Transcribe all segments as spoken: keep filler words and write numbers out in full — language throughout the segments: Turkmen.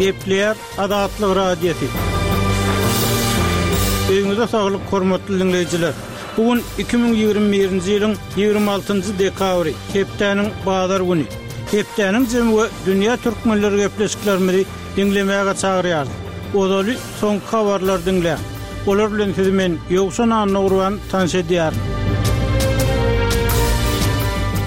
Gepleýär Azatlyk Radiosy. Öýüňize saglyk, hormatly diňleýjiler. Bu gün iki müň ýigrimi birinji ýylyň ýigrimi altynjy dekabry, hepdäniň bazar güni. Hepdäniň jemi we dünýä türkmenleri gepleşiklerimizi diňlemäge çagyrýarys. Ozaly soňky habarlary diňläň. Olar bilen sizi men Ýowşan Annagurban tanyş edýärin.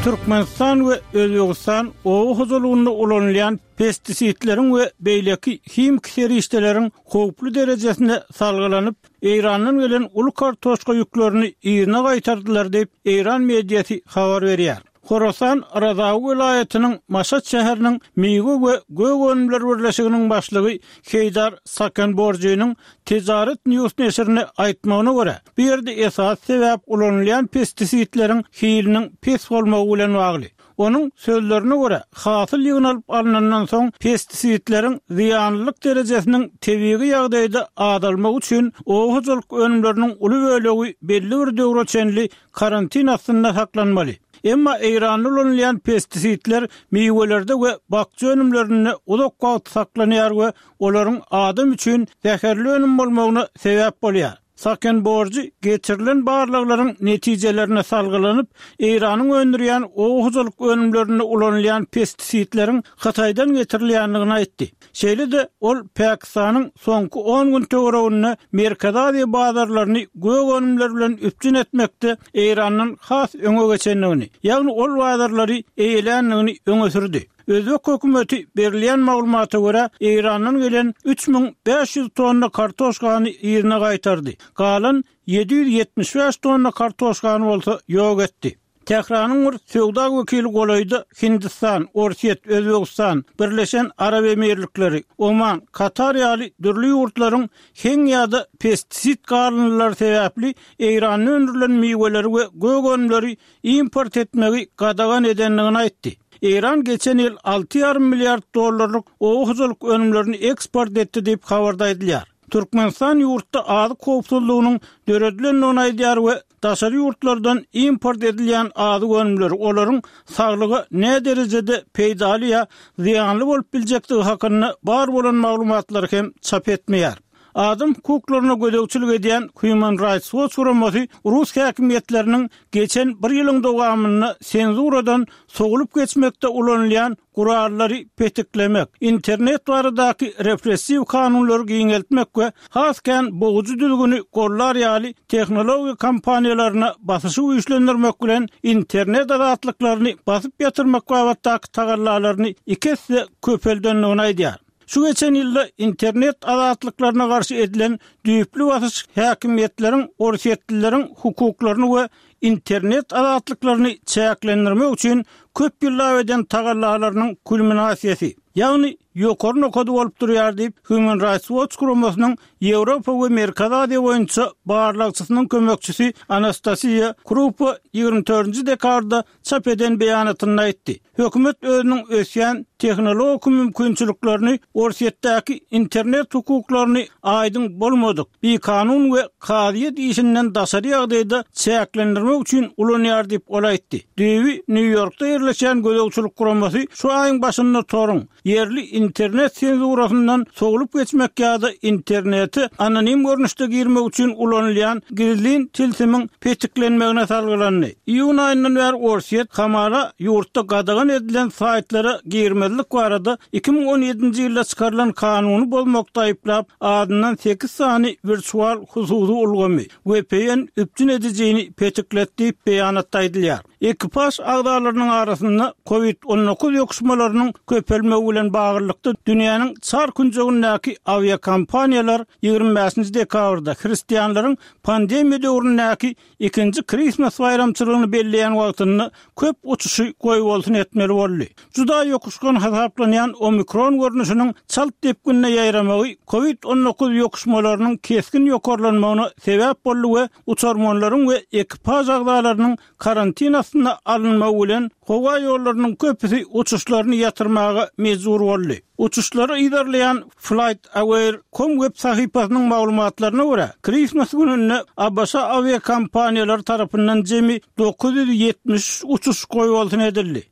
Türkmenistan we Özbegistan oba hojalygynda ulanylýan pestisitleriň we beýleki himiki serişdeleriň howply derejesine salgylanyp, Eýrandan gelen uly kartoşka ýüklerini yzyna gaýtardylar diýip, eýran mediasy habar berýär. Horasan Razawy welaýatynyň Maşat şäheriniň Miwe we gök önümler birleşiginiň başlygy Heýdar Sakenborjynyň Tejaret News neşirine aýtmagyna görä, bu ýerde esasy sebäp ulanylýan pestisitleriň hiliniň pes bolmagy bilen bagly. Onuň sözlerine görä, hasyl ýygnalyp alnandan soň pestisitleriň zyýanlylyk derejesiniň tebigy ýagdaýda azalmagy üçin oba hojalyk önümleriniň uly bölegi belli bir döwre çenli karantin astynda saklanmaly. Emma Eýranda ulanylýan pestisitler miwelerde we bakja önümlerinde uzak wagt saklanýar we olaryň adam üçin zäherli önüm bolmagyna sebäp bolýar. Sakenborjy geçirilen barlaglaryň netijelerine salgylanyp, Eýranyň öndürýän oba hojalyk önümlerinde ulanylýan pestisitleriň Hytaýdan getirilýändigini aýtdy. Şeýle-de, ol Pakistanyň soňky on gün töwereginde Merkezi Aziýa bazarlaryny gök önümler bilen üpjün etmekde Eýrandan has öňe geçendigini, ýagny ol bazarlary eýeländigini öňe sürdi. Özbek hökümeti berilýän maglumata görä, Eýrandan gelen üç müň bäş ýüz tonna kartoşkany yzyna gaýtardy, galan ýedi ýüz ýetmiş bäş tonna kartoşkany bolsa ýok etdi. Tähranyň bir söwda wekili golaýda Hindistan, Orsýet, Özbegistan, Birleşen Arap Emirlikleri, Oman, Katar ýaly dürli ýurtlaryň heň ýa-da pestisid galyndylary sebäpli Eýranda öndürilen miweleri we gök önümleri import etmegi gadagan edendigini aýtdy. Eýran geçen ýyl alty ýarym milliard dollarlyk oba hojalyk önümlerini eksport etdi diýip habarda aýdylýar. Türkmenistan ýurtda azyk howpsuzlygynyň döredilendigini aýdýar we daşary ýurtlardan import edilýän azyk önümleri olaryň saglyga näderejede peýdaly ýa zyýanly bolup biljekdigi hakynda bar bolan maglumatlary hem çap etmeýär. Adam hukuklaryna gözegçilik edýän Human Rights Watch guramasy rus häkimiýetleriniň geçen bir ýylyň dowamynda senzuradan sowulyp geçmekde ulanylýan gurallary petiklemek, internet baradaky repressiw kanunlary giňeltmek we has kän bogujy düzgüni gollar ýaly tehnologiýa kompaniýalaryna basyşy güýçlendirmek bilen internet azatlyklaryny basyp ýatyrmak babatdaky tagallalaryny iki esse köpeldendigini aýdýar. Şu geçen ýylda internet azatlyklaryna garşy edilen düýpli basyş häkimiýetleriň orsýetlileriň hukuklaryny we internet azatlyklaryny çäklendirmek üçin köp ýyllap eden tagallalarynyň kulminasiýasy, ýagny ýokary nokady bolup durýar diýip, Human Rights Watch guramasynyň Ýewropa we Merkezi Aziýa boýunça barlagçysynyň kömekçisi Anastasiýa Krupa ýigrimi dördünji dekabrda çap eden beýanatynda aýtdy. Hökümet özüniň ösýän tehnologik mümkinçiliklerini Orsýetdäki internet hukuklaryny aýdyň bolmadyk, bikanun we kazyýet işinden daşary ýagdaýda çäklendirmek üçin ulanýar diýip, ol aýtdy. Düýbi Nýu-Ýorkda ýerleşýän gözegçilik guramasy şu aýyň başynda toruň ýerli internet senzurasyndan sowlup geçmek ýa-da internete anonim görnüşde girmek üçin ulanylýan gizlin tilsimiň petiklenmegine salgylandy. Iýun aýyndan bäri Orsýet hamala ýurtda gadagan edilen saýtlara girmezlik barada iki müň on ýedinji ýylda çykarylan kanuny bozmakda aýyplap, azyndan sekiz sany wirtual hususy ulgamy, V P N üpjün edijini petikletdi diýip beýanatda aýdylýar. Ekipaž agzalarynyň arasynda kovid on dokuz ýokuşmalarynyň köpelmegi bilen baglylykda dünýäniň çar künjegindäki awiakompaniýalar ýigrimi bäşinji dekabrda hristianlaryň pandemiýa döwründäki ikinji Christmas baýramçylygyny belleýän wagtynda köp uçuşy goýbolsun etmeli boldy. Juda ýokuşgan hasaplanýan omikron görnüşiniň çalt depginde ýaýramagy kovid on dokuz ýokuşmalarynyň kesgin ýokarlanmagyna sebäp boldy we uçarmanlaryň we ekipaž agzalarynyň karantin astynda alynmagy bilen howa ýollarynyň köpüsi uçuşlaryny ýatyrmaga mejbur boldy. Uçuşlary yzarlaýan FlightAware nokta com web sahypasynyň maglumatlaryna görä, Christmas gününde A B Ş awiakompaniýalary tarapyndan jemi dokuz ýüz ýetmiş üç uçuş goýbolsun edildi.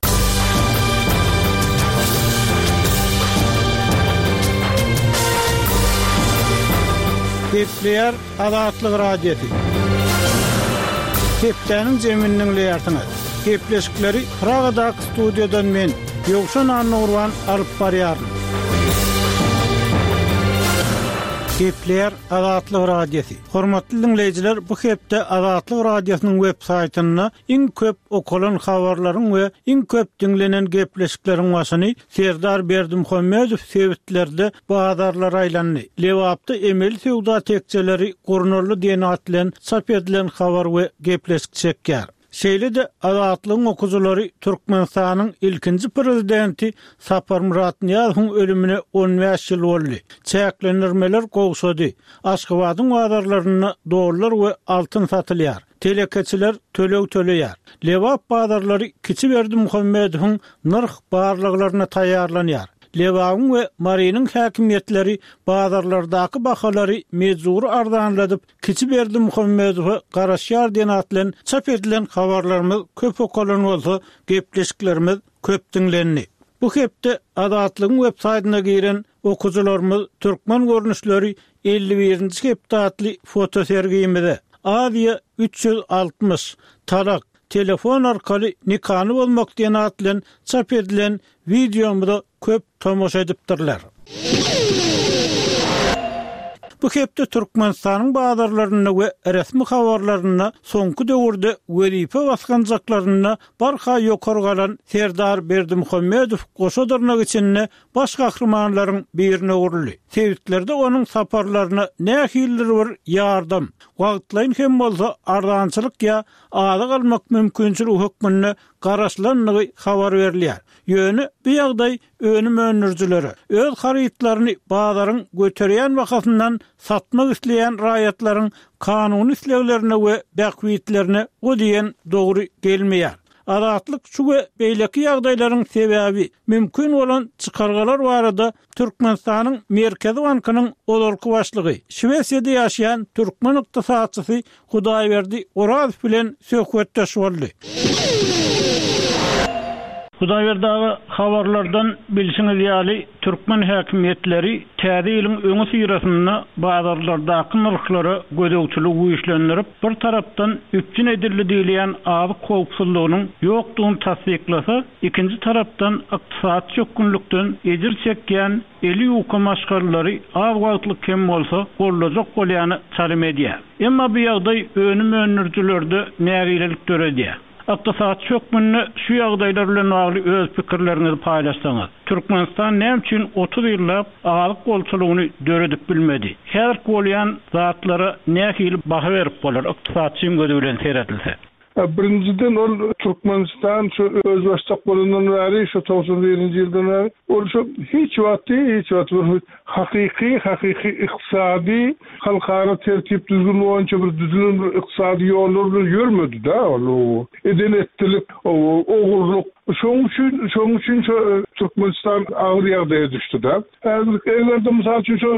Gepleýär Azatlyk Radiosy. Hepdäniň jemini diňleýärsiňiz. Gepleşikleri Pragadaky studiýadan men, Ýowşan Annagurban alyp barýaryn. Gepleýär Azatlyk Radiosy. Hormatly diňleýjiler, bu hepde Azatlyk Radiosynyň web saýtynda iň köp okalan habarlaryň we iň köp diňlenen gepleşikleriň başyny Serdar Berdimuhamedow sebitlerde bazarlara aýlandy. Lebapda emeli söwda tekjeleri gurnaldy diýen at bilen çap edilen habar we gepleşik çekýär. Şeýle-de Azatlygyň okyjylary Türkmenistanyň ilkinji prezidenti Saparmyrat Nyýazowyň ölümine on bäş ýyl boldy. Çäklendirmeler gowşady. Aşgabadyň bazarlarynda dollar we altyn satylýar. Telekeçiler töleg töleýär. Lebap bazarlary Kiçi Berdimuhamedowyň nyrh barlaglaryna taýýarlanýar. Lebabyň we Marynyň häkimiýetleri bazarlardaky bahalary mejbury arzanladyp, Kiçi Berdimuhamedowa garaşýar diýen at bilen çap edilen habarlarymyz köp okalan bolsa, gepleşiklerimiz köp diňlendi. Bu hepde Azatlygyň web saýtyna giren okyjylarymyz Türkmen görnüşleri elli birinji hepde atly fotosergimize, Aziýa üç ýüz altmyş, Talak, telefon arkaly nikany bozmak diýen at bilen çap edilen wideomyza köp tomaşa edipdirler. Bu hepde Türkmenistanyň bazarlarynda we resmi habarlarynda soňky döwürde wezipe basgançaklarynda barha ýokary galan Serdar Berdimuhamedow goşa dyrnak içinde baş gahrymanlaryň birine öwrüldi. Sebitlerde onuň saparlaryna nähilidir bir ýardam, wagtlaýyn hem bolsa arzançylyk ýa azyk almak mümkinçiligi hökmünde garaşylandygy habar berilýär. Ýöne bu ýagdaý önüm öndürijilere, öz harytlaryny bazaryň göterýän bahasyndan satmak isleýän raýatlaryň kanuny isleglerine we bähbitlerine o diýen dogry gelmeýär. Azatlyk şu we beýleki ýagdaýlaryň sebäbi mümkin bolan çykargalar barada Türkmenistanyň Merkezi bankynyň ozalky başlygy, Şwesiýada ýaşaýan türkmen ykdysatçysy Hudaýberdi Orazow bilen söhbetdeş boldy. Hudaýberdi aga, habarlardan bilşiňiz ýaly, türkmen häkimiýetleri täze ýylyň öňüsyrasynda bazarlardaky nyrhlara gözegçiligi güýçlendirip, bir tarapdan üpjün edildi diýilýän azyk howpsuzlygynyň ýokdugyny tassyklasa, ikinji tarapdan ykdysady çökgünlikden ejir çekýän eli ýuka maşgalalary az wagtlyk hem bolsa gollajak bolýany çalym edýär. Emma bu ýagdaý önüm öndürijilerde nägilelik döredýär. Ykdysatçy hökmünde şu ýagdaýlar bilen bagly öz pikirleriňizi paýlaşsaňyz. Türkmenistan näme üçin otuz ýyllap azyk bolçulygyny döredip bilmedi? Häzirki bolýan zatlara nähili baha berip bolar ykdysatçyň gözi bilen seredilse? Birinjiden ol Türkmenistan şu özbaşdak bolandan bäri, şu togsan birinji ýyldan bäri, ol şu hiç wagty, hiç wagty bir hakyky, hakyky ykdysady, halkara tertip düzgün boýunça bir düzülen bir ykdysady ýollar bilen ýörmedi da ol. Eden etdilik, ogurlyk. Şonuň üçin, şonuň üçin şu Türkmenistan agyr ýagdaýa düşdi da. Häzir eger-de mysal üçin şu,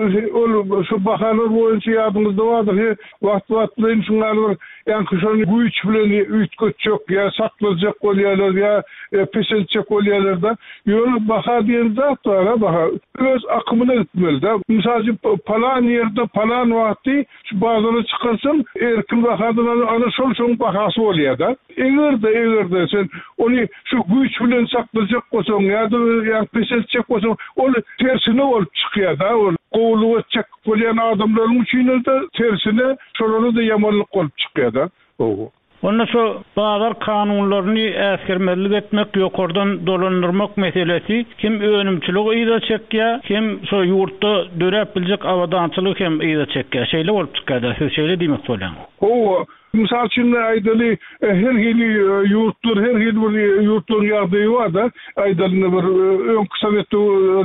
ol şu bahalar boýunça ýadyňyzda bardyr, he, wagt-wagtlaýyn şuňa bir ýaňky şony güýç bilen üýtgetjek ýa saklajak bolýarlar ýa, e, peseltjek bolýarlar da. Ýöne baha diýen zat bar, ha, baha öz akymyna gitmeli da. Mysal üçin palan ýerde palan wagty şu bazara çykarsaň erkin bahadan ana şol şoň bahasy bolýar da. Eger-de, eger-de sen ony şu güýç bilen saklajak bolsaň ýa-da ýa peseltjek bolsaň, ol tersine bolup çykýar da. Ol gowulyk etjek bolýan adamlaryň üçin de tersine şolara da ýamanlyk bolup çykýar da. Owo. Onda şu bazar kanunlaryny äsgermezlik etmek, ýokardan dolandyrmak meselesi hem önümçiligi yza çekýär, hem şu ýurtda döräp biljek abadançylygy hem yza çekýär. Şeýle bolup çykýar da, siz şeýle diýmek bolýaňyz. Owo. Mysal üçin aýdaly, her hili ýurtlar, her hili bir ýurtlaryň ýagdaýy bar da. Aýdaly bir öňki Sowet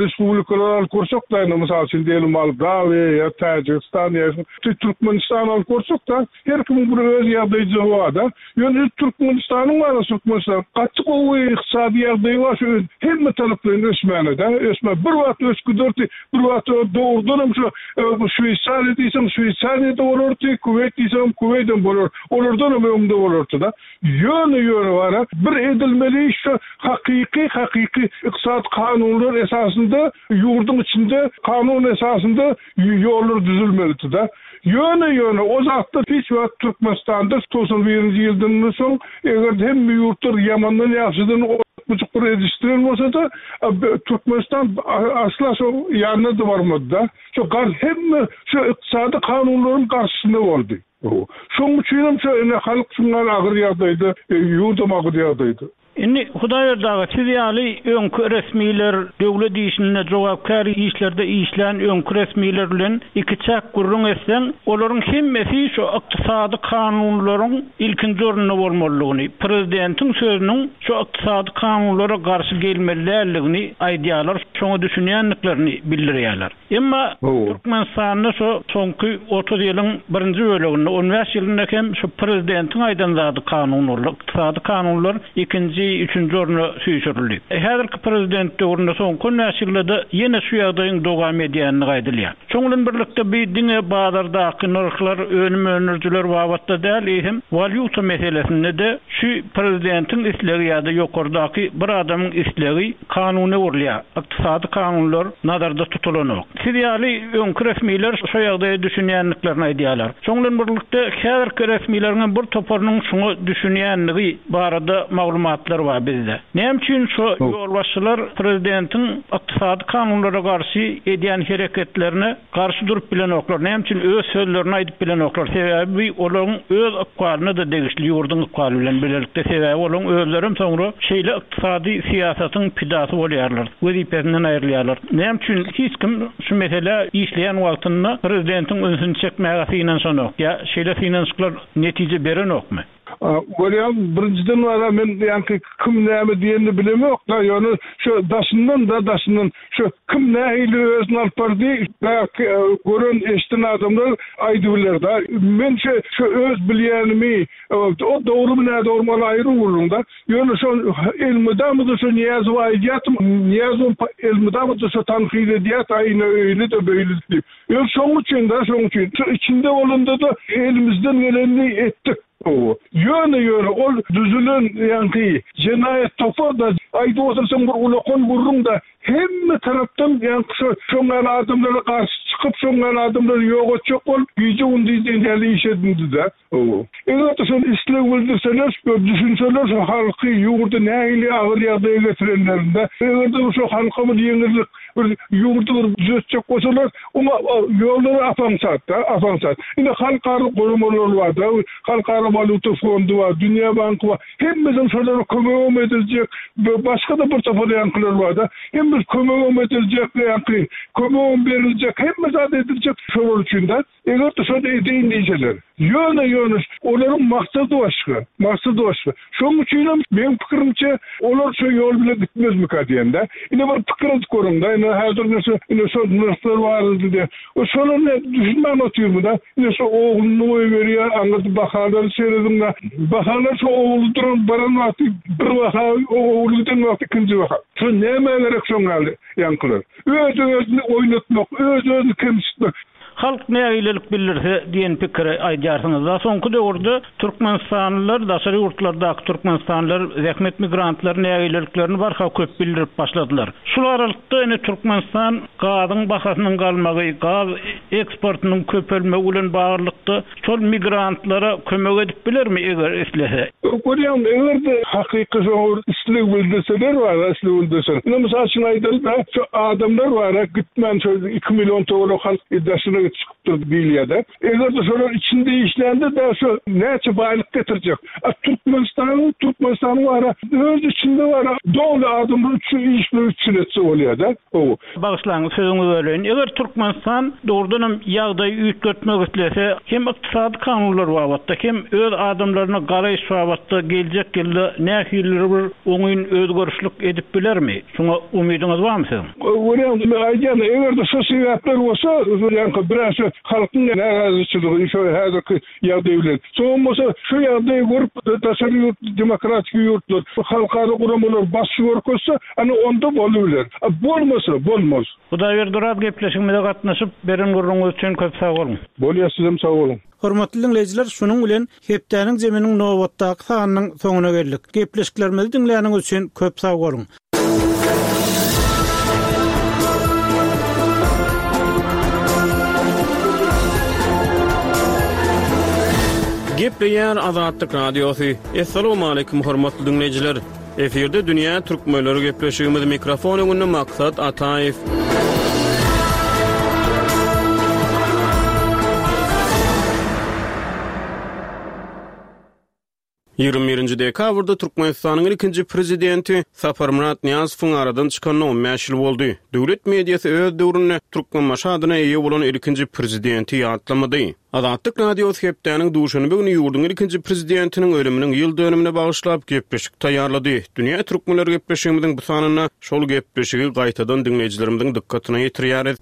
respublikalary alyp görsek da, indi mysal üçin diýelim Moldawiýa ýa Täjigistan ýa Türkmenistan alyp görsek da, her kimiň bir öz ýagdaýy bar da. Ýöne Türkmenistanyň bar, Türkmenistan gaty gowy ykdysady ýagdaýy bar, şu hemme taraplaýyn ösmäne da, ösme. Bir wagt ösgüderdi, bir wagt dogrudan hem şu, e, Şweýsariýa diýseň, Şweýsariýada bolardy, Kuweýt diýseň, Kuweýtden bolar. Olardan hem öňde bolardy-da. Ýöne ýöne bara bir edilmeli şu hakyky hakyky ykdysady kanunlar esasynda ýurduň içinde kanun esasynda ýollar düzülmelidi-de. Ýöne ýöne o zatda hiç wagt Türkmenistanda togsan birinji ýyldan soň eger hem ýurtlar ýamandan ýagşydan buçuk bir edişdiren bolsa da Türkmenistan asla şo ýanyna da barmady-da. Şo gar hemme şu ykdysady kanunlaryň garşysynda boldy. Şoň üçin hem şo ene halk şundan agyr ýagdaýda, ýurdum agyr ýagdaýda. Indi Hudaýberdi aga, siz ýaly öňki resmiler, döwlet işinde jogapkär işlerde işlän öňki resmiler bilen iki çak gürrüň etseň, olaryň hemmesi şu ykdysady kanunlaryň ilkinji orunda bolmalydygyny, prezidentiň sözüniň şu ykdysady kanunlara garşy gelmelidigini aýdýarlar, şoňa düşünýändiklerini bildirýärler. Emma Türkmenistanda şu soňky otuz ýylyň birinji böleginde, on bäş ýylynda hem şu prezidentiň aýdan zady kanun boldy. Ykdysady kanunlar ikinji, üçünji orna süýşürildi. Häzirki prezident döwründe soňky on bäş ýylda ýene şu ýagdaýyň dowam edýänini aýdylýar. Şonuň bilen birlikde bir diňe bazardaky nyrhlar, önüm öndürijiler babatda däl, hem walýuta meselesinde de şu prezidentiň islegi ýa-da ýokardaky bir adamyň islegi kanuna öwrülýär. Ykdysady kanunlar nazarda tutulanok. Siz ýaly öňki resmiler şu ýagdaýa düşünýändiklerini aýdýarlar. Şonuň bilen birlikde häzirki resmileriň bir toparynyň şoňa düşünýändigi barada maglumatlar bar bizde. Näme üçin şu ýolbaşçylar prezidentiň ykdysady kanunlara garşy edýän hereketlerine garşy durup bilenoklar? Näme üçin öz sözlerini aýdyp bilenoklar? Sebäbi olaryň öz ykbalyna da degişli ýurduň ykbaly bilen birlikde, sebäbi olaryň özleri soňra şeýle ykdysady syýasatyň pidasy bolýarlar, wezipesinden aýrylýarlar. Näme üçin hiç kim şu mesele işleýän wagtynda prezidentiň ünsüni çekmäge synanyşanok ýa şeýle synanyşyklar netije berenokmy? Görýän birinjiden wara men ýaňky kim näme diýenini bilemok da, ýöne şu daşyndan da daşyndan şu kim nähili özüni alyp bardy, belki gören eşden adamlar aýdy biler da. Men şu, şu öz bilýänimi, o dogry näme dogry ol aýry gürrüň da. Ýöne şu elmydama da şu Nyýazow aýdýartym, Nyýazow elmydama da şu tankyt edýär, aýna öýli de beýli diýip. Ýöne şoň üçin da, şoň üçin şu içinde bolanda da elimizden gelenini etdik. Ýöne ýöne ol düzülen ýaňky jenaýat topar da aýdy otursaň bir ulakan gürrüň da hemme tarapdan ýaňky şu şoňa adamlara garşy çykyp şoňa adamlary ýok etjek bolup gije gündüz diýen iş edindi de. Eger de şol isleg bildirseler, düşünseler şu halky ýurdy nähili agyr ýagdaýa getirenlerinde, eger de şu halka bir ýeňillik, bir ýurdy bir düzetjek bolsalar, oňa ýollary apaňsat da, apaňsat. Ine halkara guramalar bar da, halkara walýuta fondy bar, Dünýä banky bar. Hemmeden şolara kömegem ediljek, başga da bir topar ýaňkylar bar da. Hemmesi kömegem ediljek, ýaňky kömegem beriljek, hemme zat ediljek şolar üçin de. Eger de şol edeýin diýseler. Ýöne ýöne olaryň maksady başga, maksady başga. Şonuň üçin hem meň pikirimçe olar şu ýol bilen gitmezmika diýende. Ine bir pikir edip görüň da, ine häzir näse, ine şol nyrhlar bardy diýe. O şolar ne düşünmän otyrmy da? Ine şu ogluny goýberýär, aňyrda bahalar serediň da. Bahalar şu ogly duran baran wagty bir baha, ogly giden wagty ikinji baha. Şu näme gerek şoň ýaly ýaňkylar? Öz özüni oýnatmak, öz özüni kemsitmek. Halk nägilelik bildirse diýen pikiri aýdýarsyňyz. Da soňky döwürde Türkmenistanlylar, daşary ýurtlardaky Türkmenistanlylar zähmet migrantlary nägileliklerini barha köp bildirip başladylar. Şu aralykda ene Türkmenistan gazyň bahasynyň galmagy, gaz eksportynyň köpelmegi bilen baglylykda şol migrantlara kömek edip bilermi eger islese? Görýän, eger de hakyky şol isleg bildirseler bar, isleg bildirseler. Ine mysal üçin aýdaly da, şu adamlar bar, gitmän şol iki million töwerek halk daşyna çykypdyr diýilýär. Eger de şolar içinde işlände de şu näçe baýlyk getirjek. A Türkmenistanyň, Türkmenistanyň bar, öz içinde bar, doly adamlar üçin işler üçin etse bolýar da. O. Bagyşlaň, sözüňizi böleýin. Eger Türkmenistan dogrudan hem ýagdaýy üýtgetmek islese, hem ykdysady kanunlar babatda, hem öz adamlaryna garaýyş babatda geljek ýylda nähili bir oňyn özgerişlik edip bilermi? Şoňa umydyňyz barmy siziň? Görýän, men aýdýan, eger de şu sebäpler bolsa, ýaňky bir Bir şu halkyň närazyçylygy şu häzirki ýagdaý bilen. Soň bolsa şu ýagdaýy görüp daşary ýurt demokratik ýurtlar halkara guramalar basyş görkezse, ana onda bolubiler. Bolmasa bolmaz. Hudaýberdi Oraz gepleşigimize gatnaşyp beren gürrüňiz üçin köp sag boluň. Bolýar, sizem sag boluň. Hormatly dinleýjiler, şunuň bilen hepdäniň zeminiň nobatdaky sanynyň soňuna geldik. Gepleşiklerimizi diňläniňiz üçin köp sag boluň. Gepleýär Azatlyk Radiosy. Essalamu aleyküm hormatly dinleýjiler. Efirde Dünýä Türkmenleri gepleşigimiz mikrofon öňünde Maksat Ataýew. Ýigrimi birinji dekabrda Türkmenistanyň ikinji prezidenti Saparmyrat Nyýazowyň aradan çykanyna on bäş ýyl boldy. Döwlet mediasy öz döwründe Türkmenbaşy adyna eýe bolan ikinji prezidenti ýatlamady. Azatlyk Radiosy hepdäniň duşenbe güni ýurduň ikinji prezidentiniň ölüminiň ýyl dönümine bagyşlap gepleşik taýýarlady. Dünýä Türkmenleri gepleşigimiziň bu sanynda şol gepleşigi gaýtadan dinleýjilerimiziň dykgatyna ýetirýäris.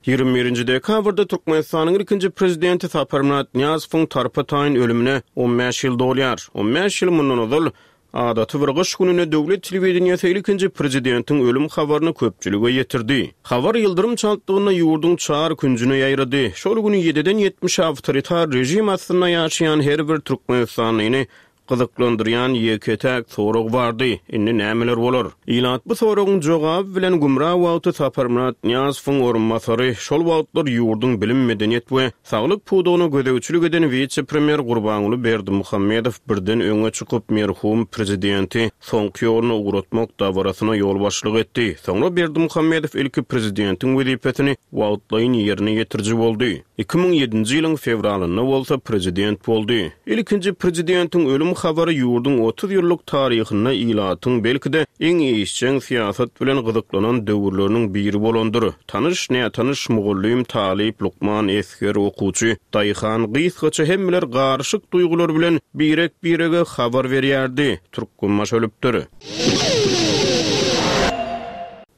Ýigrimi birinji dekabrda Türkmenistanyň ikinji prezidenti Saparmyrat Nyýazowyň tarpa taýyn ölümine on bäş ýyl dolýar. On bäş ýyl mundan ozal adaty bir gyş gününe döwlet telewideniýesi ilkinji prezidentiň ölüm habaryny köpçülige ýetirdi. Habar ýyldyrym çaltlygynda ýurduň çar künjüne ýaýrady. Şol güni ýediden ýetmiş awtoritar rejim astynda ýaşaýan her bir Türkmenistanlyny gyzyklandyrýan ýeke-täk sorag bardy. Indi nämeler bolar? Ilat bu soragyň jogaby bilen gümra wagty Saparmyrat Nyýazowyň orunbasary, şol wagtlar ýurduň bilim, medeniýet we saglyk pudagyna gözegçilik eden wise-premýer Gurbanguly Berdimuhamedow birden öňe çykyp merhum prezidenti soňky ýoluna ugratmak dabarasyna ýolbaşçylyk etdi. Soňra Berdimuhamedow ilki prezidentiň wezipesini wagtlaýyn ýerine ýetiriji boldy. Iki müň ýedinji ýylyň fewralynda bolsa prezident boldy. Ilkinji prezidentiň ölüm habary ýurduň otuz ýyllyk taryhynda ilatyň belki-de iň işjeň syýasat bilen gyzyklanan döwürleriniň biri bolandyr. Tanyş, nätanyş, mugallym, talyp, lukman, esger, okuwçy, daýhan, gysgaça hemmeler garyşyk duýgular bilen birek-birege habar berýärdi. Türkmenbaşy ölüpdir.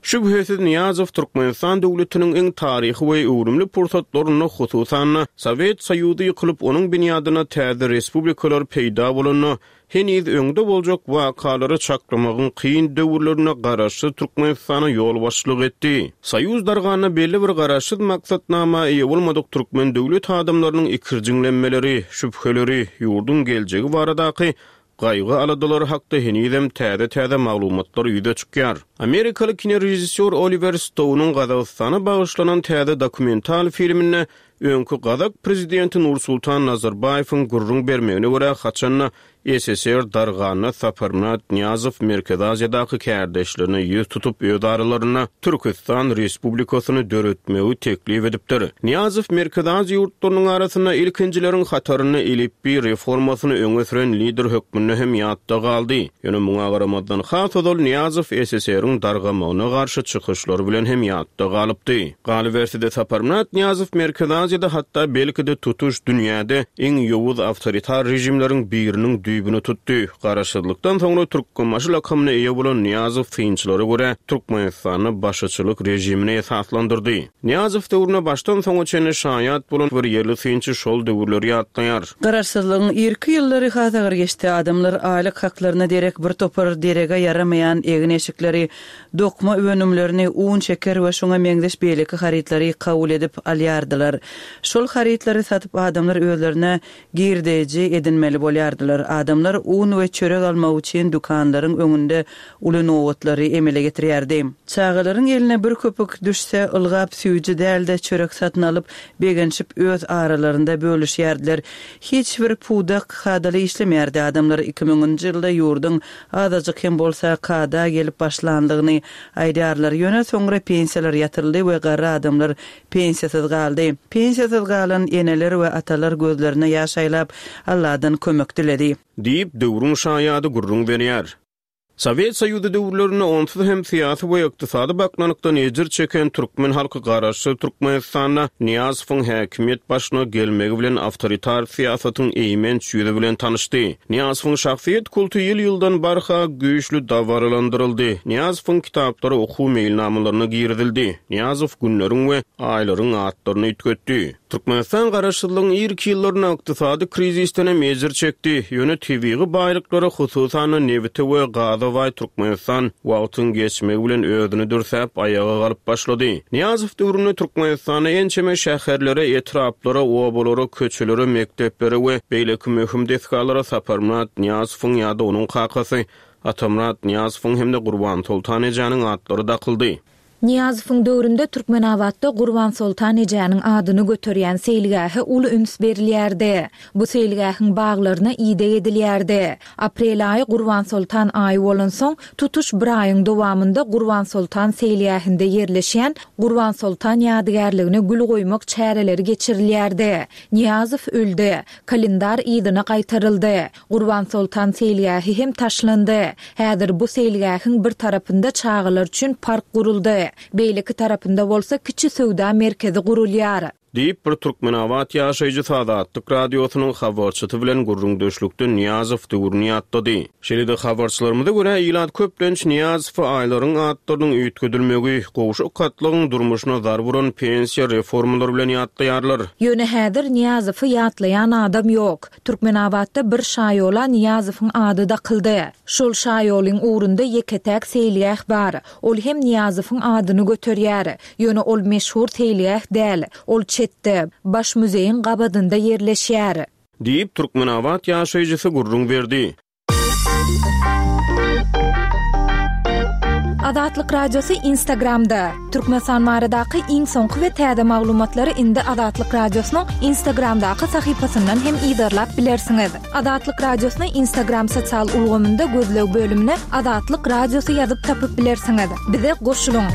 Şübhesiz Nyýazow Türkmenistan döwletiniň iň taryhy we öwrümli pursatlarynda hususan Sowet Soýuzy ýykylyp onuň binýadyna täze respublikalar peýda bolanda heniz öňde boljak wakalary çaklamagyň kyn döwürlerine garaşsyz Türkmenistana ýolbaşçylyk etdi. Soýuz darganyna belli bir garaşsyz maksatnama eýe bolmadyk türkmen döwlet adamlarynyň ikirjiňlenmeleri, şübheleri, ýurduň geljegi baradaky gaýgy aladalary hakda henizem täze-täze maglumatlar ýüze çykýar. Amerikaly kinorežissýor Oliver Stone'uň Gazagystana bagyşlanan täze dokumental filminde öňki Gazak prezidenti Nursultan Nazarbaýewiň gürrüň bermegine görä haçanda S S R darganyna Saparmyrat Nyýazow Merkezi Aziýadaky kärdeşlerine ýüz tutup öz aralarynda Türkistan Respublikasyny döretmegi teklip edipdir. Nyýazow Merkezi Aziýa ýurtlarynyň arasynda ilkinjileriň hatarynda elipbiý reformasyny öňe süren lider hökmünde hem ýatda galdy. Ýöne muňa garamazdan has ozal Nyýazow S S R-iň dargamagyna garşy çykyşlary bilen hem ýatda galypdy. Galyberse-de Saparmyrat Nyýazow Merkezi Aziýada hatda belki-de tutuş dünýäde iň ýowuz awtoritar rejimleriň biriniň düýbüni tutdy. Garaşsyzlykdan soňra Türkmenbaşy lakamyna eýe bolan Nyýazow synçylara görä Türkmenistanda başçylyk rejimini esaslandyrdy. Nyýazow döwrüne başdan soňa çenli şaýat bolan bir ýerli synçy şol döwürleri ýatlaýar. Garaşsyzlygyň irki ýyllary has agyr geçdi. Adamlar aýlyk haklaryna derek bir topar derege ýaramaýan egin-eşikleri, dokma önümlerini, un, şeker we şoňa meňzeş beýleki harytlary kabul edip alýardylar. Şol harytlary satyp adamlar özlerine girdeji edinmeli bolýardylar. Adamlar un we çörek almak üçin dükanlaryň öňünde uly nowatlary emele getirýärdi. Çagalaryň eline bir köpük düşse, ylgap süýji däl-de çörek satyn alyp, begenişip öz aralarynda bölüşýärdiler. Hiç bir pudak kadaly işlemeýärdi. Adamlar iki müňünji ýylda ýurduň azajyk hem bolsa kada gelip başlandygyny aýdýarlar. Ýöne soňra pensiýalar ýatyryldy we garry adamlar pensiýasyz galdy. Pensiýasyz galan eneler we atalar gözlerine ýaş aýlap Allahdan kömek diledi. Diýip döwrüň şaýady gürrüň berýär. Sowet Soýuzy döwürlerinde onsuz hem syýasy we ykdysady baknalykdan ejir çeken türkmen halky Garaşsyz Türkmenistanda Nyýazowyň häkimiýet başyna gelmegi bilen awtoritar syýasatyň eýmenç ýüzi bilen tanyşdy. Nyýazowyň şahsyýet kulty ýyl-ýyldan barha güýçli dabaralandyryldy. Nyýazowyň kitaplary okuw meýilnamalaryna girizildi. Nyýazow günleriň we aýlaryň atlaryny üýtgetdi. Türkmenistan garaşsyzlygyň irki ýyllarynda ykdysady krizisden hem ejir çekdi. Ýöne tebigy baýlyklara, hususan-da nebite we gaza baý Türkmenistan wagtyň geçmegi bilen özüni dürsäp, aýaga galyp başlady. Nyýazow döwründe Türkmenistanda ençeme şäherlere, etraplara, obalara, köçelere, mekdeplere we beýleki möhüm desgalara Saparmyrat Nyýazowyň ýa-da onuň kakasy Atamyrat Nyýazowyň hem-de Gurbansoltan ejäniň atlary dakyldy. Nyýazowyň döwründe Türkmenabatda Gurbansoltan ejäniň adyny göterýän seýilgähe uly üns berilýärdi. Bu seýilgähiň baglaryna ideg edilýärdi. Aprel aýy Gurbansoltan aýy bolansoň, tutuş bir aýyň dowamynda Gurbansoltan seýilgähinde ýerleşýän Gurbansoltan ýadygärligine gül goýmak çäreleri geçirilýärdi. Nyýazow öldi. Kalendar yzyna gaýtaryldy. Gurbansoltan seýilgähi hem taşlandy. Häzir bu seýilgähiň bir tarapynda çagalar üçin park guruldy. Beýleki tarapynda bolsa kiçi söwda merkezi gurulýar. Diýip, bir Türkmenabat ýaşaýjysy Azatlyk Radiosynyň habarçysy bilen gürrüňdeşlikde Nyýazow döwrüni ýatlady. Şeýle-de habarçylarymyza görä, ilat köplenç Nyýazowy aýlaryň atlarynyň üýtgedilmegi, gowşak gatlagyň durmuşyna zarba uran pensiýa reformalary bilen ýatlaýarlar. Ýöne häzir Nyýazowy ýatlaýan adam ýok. Türkmenabatda bir şaýola Nyýazowyň ady dakyldy. Şol şaýolyň ugrunda ýeke-täk seýilgäh bar. Ol hem Nyýazowyň adyny göterýär. Ýöne ol meşhur seýilgäh däl. Ol çetde, Baş muzeýiň gabadynda ýerleşýär. Diýip, Türkmenabat ýaşaýjysy gürrüň berdi. Azatlyk Radiosy Instagramda. Türkmenistan baradaky iň soňky we täze maglumatlary indi Azatlyk Radiosynyň Instagramdaky sahypasyndan hem yzarlap bilersiňiz. Azatlyk Radiosyny Instagram sosial ulgamynda gözleg bölümine Azatlyk Radiosy ýazyp tapyp bilersiňiz. Bize goşulyň!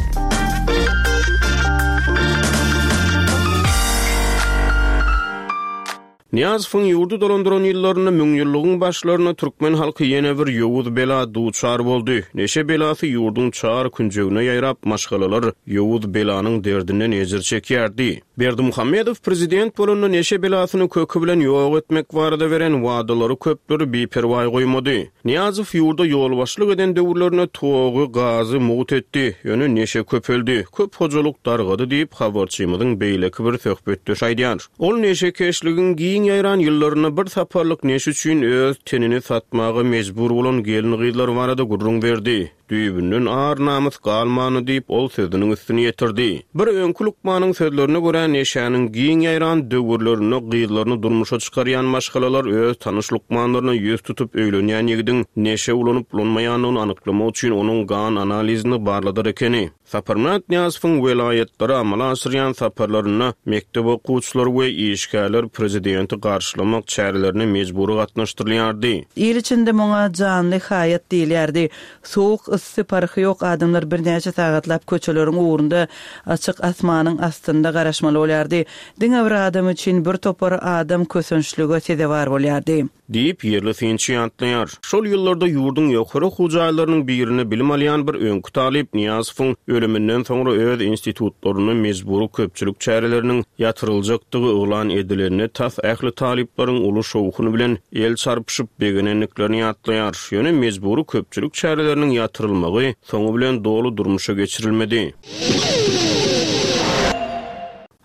Nyýazowyň ýurdy dolandyran ýyllarynda müňýyllygyň başlarynda türkmen halky ýene bir ýowuz bela duçar boldy. Neşe belasy ýurduň çar künjegine ýaýrap, maşgalalar ýowuz belanyň derdinden ejir çekýärdi. Berdimuhamedow prezident bolanda neşe belasyny köki bilen ýok etmek barada beren wadalary köpleri biperwaý goýmady. Nyýazow ýurda ýolbaşçylyk eden döwürlerinde togy, gazy mugt etdi, ýöne neşe köpeldi, köp hojalyk dargady diýip, habarçymyzyň beýleki bir söhbetdeşi aýdýar. Ol neşekeşligiň giň ýaýran ýyllarynda bir saparlyk neşe üçin öz tenini satmaga mejbur bolan gelin-gyzlar barada gürrüň berdi. Düýbünden ar-namys galmany diýip, ol sözüniň üstüni ýetirdi. Bir öňki lukmanyň sözlerine görä, neşäniň giň ýaýran döwürlerinde gyzlaryny durmuşa çykarýan maşgalalar öz tanyş lukmanlaryna ýüz tutup öýlenýän ýigidiň neşe ulanyp-ulanmaýandygyny anyklamak üçin onuň gan analizini barladar ekeni. Saparmyrat Nyýazowyň welaýatlara amala aşyrýan saparlarynda mekdep okuwçylary we işgärler prezidenti garşylamak çärelerine mejbury gatnaşdyrylýardy. Il içinde muňa janly haýat diýilýärdi. Sowuk, yssy parhy ýok adamlar birnäçe sagatlap köçeleriň ugrunda açyk asmanyň astynda garaşmaly bolýardy. Diňe bir adam üçin bir topar adam kösençlige sezewar bolýardy. Diýip, ýerli synçy ýatlaýar. Şol ýyllarda ýurduň ýokary okuw jaýlarynyň birinde bilim alýan bir öňki talyp Nyýazowyň ölüminden soňra öz institutlarynda mejbury köpçülik çäreleriniň ýatyryljakdygy yglan edilende tas ähli talyplaryň uly şowhun bilen el çarpyşyp begenendiklerini ýatlaýar. Ýöne mejbury köpçülik çäreleriniň ýatyrylmagy soňy bilen doly durmuşa geçirilmedi.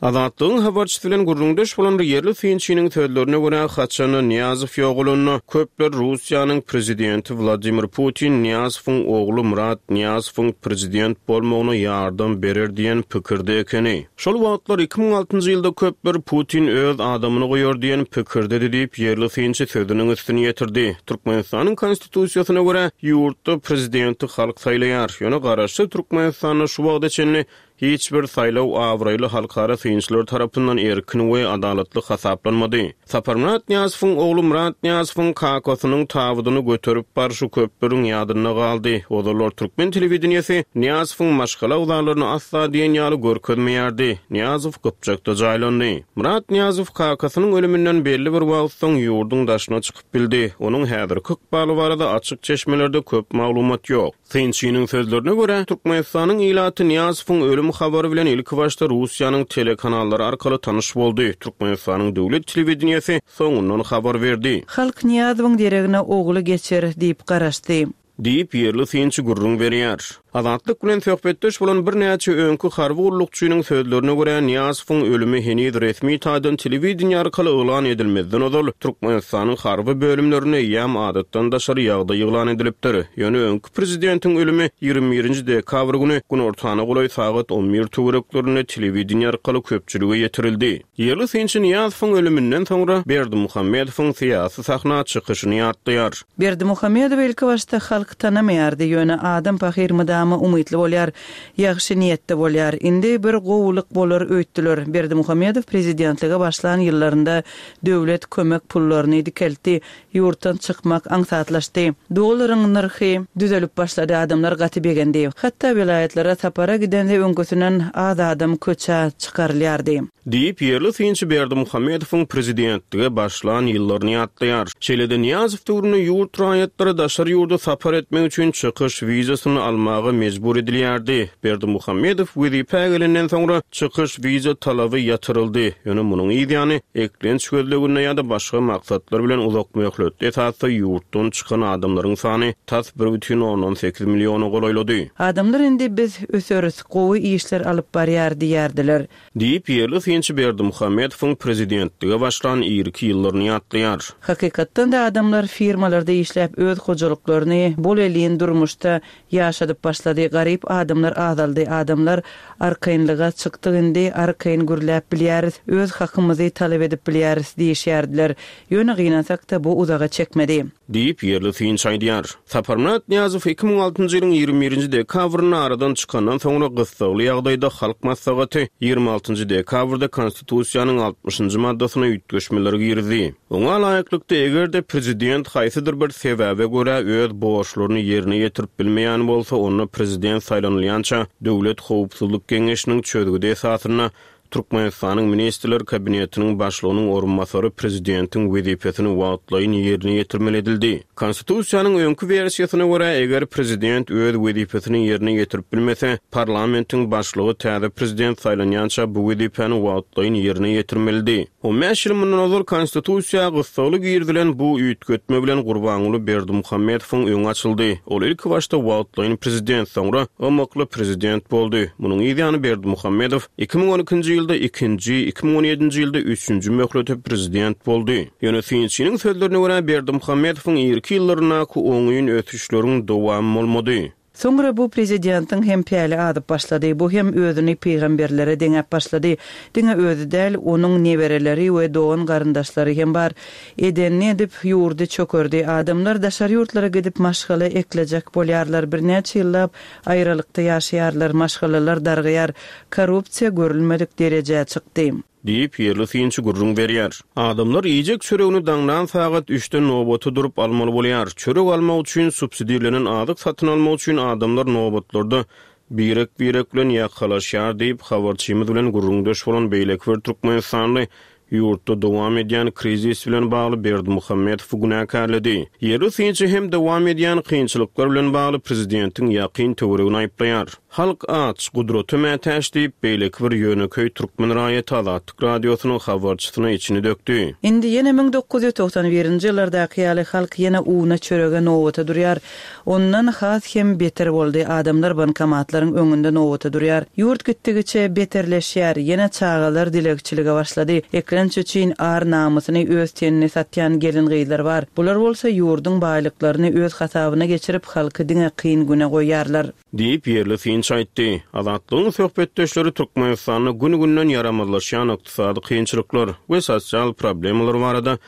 Azatlygyň habarçysy bilen gürrüňdeş bolan bir ýerli synçynyň sözlerine görä, haçanda Nyýazow ýogalanda, köpler Russiýanyň prezidenti Wladimir Putin Nyýazowyň ogly Myrat Nyýazowyň prezident bolmagyna ýardam berer diýen pikirde ekeni. Şol wagtlar iki müň altynjy ýylda köpler Putin öz adamyny goýar diýen pikirdedi diýip, ýerli synçy sözüniň üstüni ýetirdi. Türkmenistanyň Konstitusiýasyna görä, ýurtda prezidenti halk saýlaýar. Ýöne garaşsyz Türkmenistanda şu wagta çenli Hiç bir saýlaw abraýly halkara synçylar tarapyndan erkin we adalatly hasaplanmady. Saparmyrat Nyýazowyň ogly Myrat Nyýazowyň kakasynyň tabydyny göterip barşy köpleriň ýadynda galdy. Ozallar türkmen telewideniýesi Nyýazowyň maşgala agzalaryny asla diýen ýaly görkezmeýärdi. Nyýazow Gypjakda jaýlandy. Myrat Nyýazow kakasynyň ölüminden belli bir wagt soň ýurduň daşyna çykyp bildi. Onuň häzirki ykbaly barada açyk çeşmelerde köp maglumat ýok. Synçynyň sözlerine görä, Türkmenistanyň ilaty Nyýazowyň ölüm habary bilen ilkibaşda Russiýanyň telekanallary arkaly tanyş boldy. Türkmenistanyň döwlet telewideniýesi soňundan habar berdi. Halk Nyýazowyň deregine ogly geçer diýip garaşdy. Diýip, ýerli synçy gürrüň berýär. Azatlyk bilen söhbetdeş bolan birnäçe öňki harby gullukçynyň sözlerine görä, Nyýazowyň ölümi heniz resmi taýdan telewideniýe arkaly yglan edilmezden ozal, Türkmenistanyň harby bölümlerinde eýýäm adatdan daşary ýagdaý yglan edilipdir. Ýöne öňki prezidentiň ölümi ýigrimi birinji dekabr güni günortana golaý sagat on bir töwereklerinde telewideniýe arkaly köpçülige ýetirildi. Ýerli synçy Nyýazowyň ölüminden soňra Berdimuhamedowyň syýasy sahna çykyşyny ýatlaýar. Berdimuhamedowy ilkibaşda halk tanamaýardy, ýöne adam pahyr mydama umytly bolýar, ýagşy niýetde bolýar. Indi bir gowulyk bolar öýtdüler. Berdimuhamedow prezidentlige başlan ýyllarynda döwlet kömek pullaryny dikeltdi, ýurtdan çykmak aňsatlaşdy. Dollaryň nyrhy düzelip başlady, adamlar gaty begendi. Hatda welaýatlara sapara gidende öňküsinden az adam köçä çykarylýardy. Diýip, ýerli synçy Berdimuhamedowyň prezidentlige başlan ýyllaryny ýatlaýar. Şeýle-de Nyýazow döwründe ýurt raýatlary daşary ýurda sapar etmek üçin çykyş wizasyny almaga mejbur edilýärdi. Berdimuhamedow wezipä gelenden soňra çykyş wiza talaby ýatyryldy. Ýöne munuň ýany eklenç gözleginde ýa-da başga maksatlar bilen uzak möhletli esasda ýurtdan çykan adamlaryň sany tas bir bütin ondan sekiz milliona golaýlady. Adamlar indi biz öseris, gowy işler alyp barýar diýerdiler. Diýip, ýerli synçy Berdimuhamedowyň prezidentlige başlan irki ýyllaryny ýatlaýar. Hakykatdan-da adamlar firmalarda işläp öz hojalyklaryny bol elin durmuşda ýaşadyp başlady. Garyp adamlar azaldy. Adamlar arkaýynlyga çykdy indi, arkaýyn gürläp bilýäris, öz hakymyzy talap edip bilýäris diýişýärdiler. Ýöne gynansak-da bu uzaga çekmedi. Diýip, ýerli synçy aýdýar. Saparmyrat Nyýazow iki müň altynjy ýylyň ýigrimi birinji dekabrynda aradan çykandan soňra gyssagly ýagdaýda Halk Maslahaty ýigrimi altynjy dekabrda Konstitusiýanyň altmyşynjy maddasyna üýtgeşmeler girdi. Oňa laýyklykda, eger-de prezident haýsydyr bir sebäbe görä öz borçlaryny ýerine ýetirip bilmeýän bolsa, onda prezident saýlanylýança Döwlet Howpsuzlyk Geňeşiniň çözgüdi esasynda Türkmenistanyň Ministrler Kabinetiniň başlygynyň orunbasary prezidentiň wezipesini wagtlaýyn ýerine ýetirmeli edildi. Konstitusiýanyň öňki wersiýasyna görä, eger prezident öz wezipesini ýerine ýetirip bilmese, parlamentiň başlygy täze prezident saýlanýança bu wezipäni wagtlaýyn ýerine ýetirmelidi. On bäş ýyl mundan ozal Konstitusiýa gyssagly girizilen bu üýtgetme bilen Gurbanguly Berdimuhamedowyň öňi açyldy. Ol ilkibaşda wagtlaýyn prezident, soňra ymykly prezident boldy. Munuň ýany Berdimuhamedow iki müň on ikinji ýylda ikinji, iki müň on ýedinji ýylda üçünji möhlete prezident boldy. Ýöne synçynyň sözlerine görä Berdimuhamedowyň irki ýyllaryndaky oňyn ösüşleriň dowamy bolmady. Soňra bu prezidentiň hem päli adyp başlady. Bu hem özüni pygamberlere deňäp başlady. Diňe özi däl, onuň nebereleri we dogan garyndaşlary hem bar. Edenini edip ýurdy çökerdi. Adamlar daşary ýurtlara gidip maşgala eklejek bolýarlar. Birnäçe ýyllap aýralykda ýaşaýarlar, maşgalalar dargaýar. Korrupsiýa görülmedik derejä çykdy. Diýip, ýerli synçy gürrüň berýär. Adamlar iýjek çöregini daňdan sagat üçden nobata durup almaly bolýar. Çörek almak üçin subsidirlenen azyk satyn almak üçin adamlar nobatlarda birek-birek bilen ýakalaşýar diýip, habarçymyz bilen gürrüňdeş bolan beýleki bir türkmenistanly ýurtda dowam edýän krizis bilen bagly Berdimuhamedowy günäkärledi. Ýerli synçy hem dowam edýän kynçylyklar bilen bagly prezidentiň ýakyn töweregini aýyplaýar. Halk aç, gudrata mätäç diýip, beýleki bir ýönekeý türkmen raýaty Azatlyk radiosynyň habarçysyna içini dökdü. Indi ýene müň dokuz ýüz togsan birinji ýyllardaky ýaly halk ýene una çörege nobata durýar. Ondan has hem beter boldy. Adamlar bankomatlaryň öňünde nobata durýar. Ýurt gitdigiçe beterleşýär. Ýene çagalar dilegçilige başlady. Eklenç üçin ar namysyny öz tenini satýan gelin gyzlar bar. Bular bolsa ýurduň baýlyklaryny öz hasabyna geçirip halky diňe kyn güne goýarlar. Diýip, ýerli synçy aýtdy. Azatlygyň söhbetdeşleri Türkmenistanda gün-günden ýaramazlaşýan ykdysady kynçylyklar we sosial problemalar barada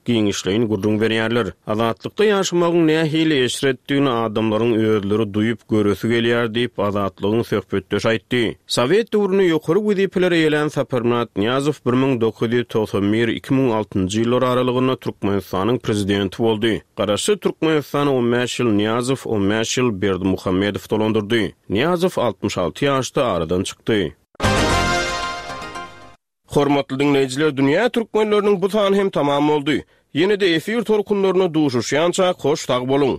giňişleýin gürrüň berýärler. Azatlykda ýaşamagyň nähili eşretdigini adamlaryň özleri duýup göresi gelýär diýip, Azatlygyň söhbetdeşi aýtdy. Sowet döwründe ýokary wezipeleri eýelän Saparmyrat Nyýazow bir müň dokuz ýüz togsan bir, iki müň altynjy ýyllar aralygynda Türkmenistanyň prezidenti boldy. Garaşsyz Türkmenistany on bäş ýyl Nyýazow, on bäş ýyl Berdimuhamedow dolandyrdy. Nyýazow altmyş alty ýaşda aradan çykdy. Hormatly diňleýjiler, Dünýä türkmenleriniň bu sany hem tamam boldy. Ýene-de efir tolkunlarynda duşuşýançak hoş sag boluň!